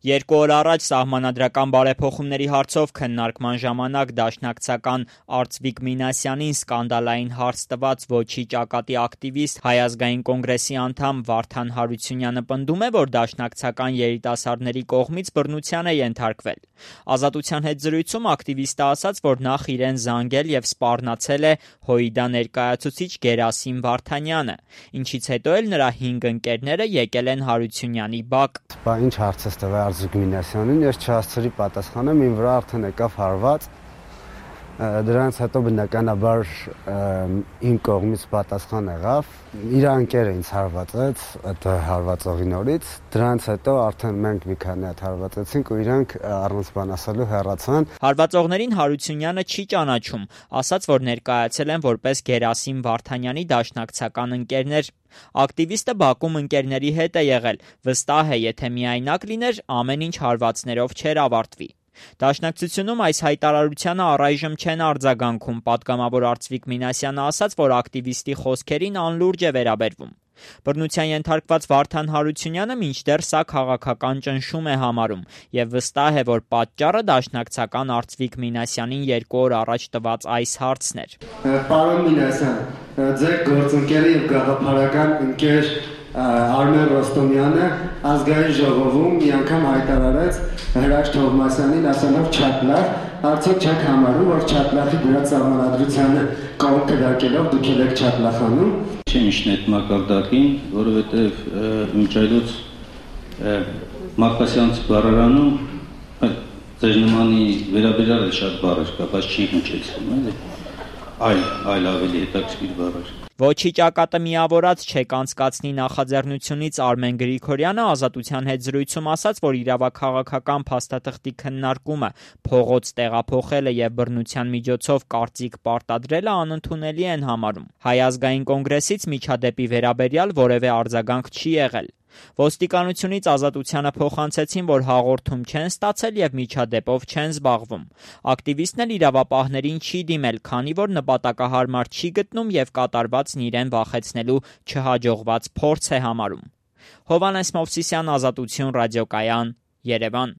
2 օր առաջ սահմանադրական բարեփոխումների հարցով քննարկման ժամանակ դաշնակցական Արծվիկ Մինասյանին սկանդալային հարց տված Ոչի ճակատի ակտիվիստ Հայ ազգային կոնգրեսի անդամ Վարդան Հարությունյանը պնդում է, որ դաշնակցական երիտասարդների կողմից բռնության է ենթարկվել։ Ազատության հետ զրույցում ակտիվիստը ասաց, որ նախ իրեն զանգել եւ սպառնացել է ՀՅԴ ներկայացուցիչ Գերասիմ Վարդանյանը, ինչից հետո էլ նրա 5 ընկերները եկել են Հարությունյանի բակ։ Ինչ հարց է տվել Արծվիկ Մինասյանին, ես չհասցրի պատասխանեմ, իմ վրա արդեն եկավ հարված, դրանից հետո բնականաբար իմ կողմից պատասխան եղավ, իր ընկերը ինձ հարվածեց այդ հարվածողի նորից, դրանից հետո արդեն մենք մի քանի հատ հարվածեցինք ու իրանք առանց բան ասելու հեռացան։ Հարվածողներին Հարությունյանը չի ճանաչում, ասաց, որ ներկայացել են որպես Գերասիմ Վարդանյանի դաշնակցական ընկերներ։ Ակտիվիստը Բաքում ընկերների հետ է եղել, վստահ է, եթե միայնակ լիներ, ամեն ինչ հարվածներով չէր ավարտվի։ Դաշնակցությունում այս հայտարարությանը առայժմ չեն արձագանքում, պատգամավոր Արծվիկ Մինասյանը ասաց, որ ակտիվիստի խոսքերին անլուրջ է վերաբերվում։ Բռնության ենթարկված Վարդան Հարությունյանը մինչդեռ սա քաղաքական ճնշում է համարում եւ վստահ է, որ պատճառը դաշնակցական Արծվիկ Մինասյանին 2 օր առաջ տված այս հարցն էր։ Պարոն Մինասյան, ձեր գործընկերը եւ գաղափարական ընկեր Արմեն Ռոստոմյանը ազգային ժողովում մի անգամ հայտարարեց Հրաչ Թովմասյանին ասելով չապլախ, արդյոք չեք համարում, որ չապլախի դրած սահմանադրությանը կողմ կրակելով դուք եք չապլախանում։ Չեմ իշն այդ մակարդակին, որովհետև մինչ այլոց Մարկասյանց բառարանում ձեր նմանի վերաբերյալ շատ բառեր կա, բայց չի հնչեցնում, էլի։ Այլ ավելի հետաքրքիր բառեր։ Ոչի ճակատը միավորած չեք անցկացնի նախաձեռնությունից Արմեն Գրիգորյանը Ազատության հետ զրույցում ասաց, որ իրավաքաղաքական փաստաթղթի քննարկումը, փողոց տեղափոխելը եւ բռնության միջոցով կարծիք պարտադրելը անընդունելի են համարում։ Հայ ազգային կոնգրեսից միջադեպի վերաբերյալ որևէ արձագանք չի եղել։ Ոստիկանությունից Ազատությանը փոխանցեցին, որ հաղորդում չեն ստացել եւ միջադեպով չեն զբաղվում։ Ակտիվիստն էլ իրավապահներին չի դիմել, քանի որ նպատակահարմար չի գտնում եւ կատարվածն իրեն վախեցնելու չհաջողված փորձ է համարում։ Հովհաննես Մովսիսյան, Ազատություն ռադիոկայան, Երևան։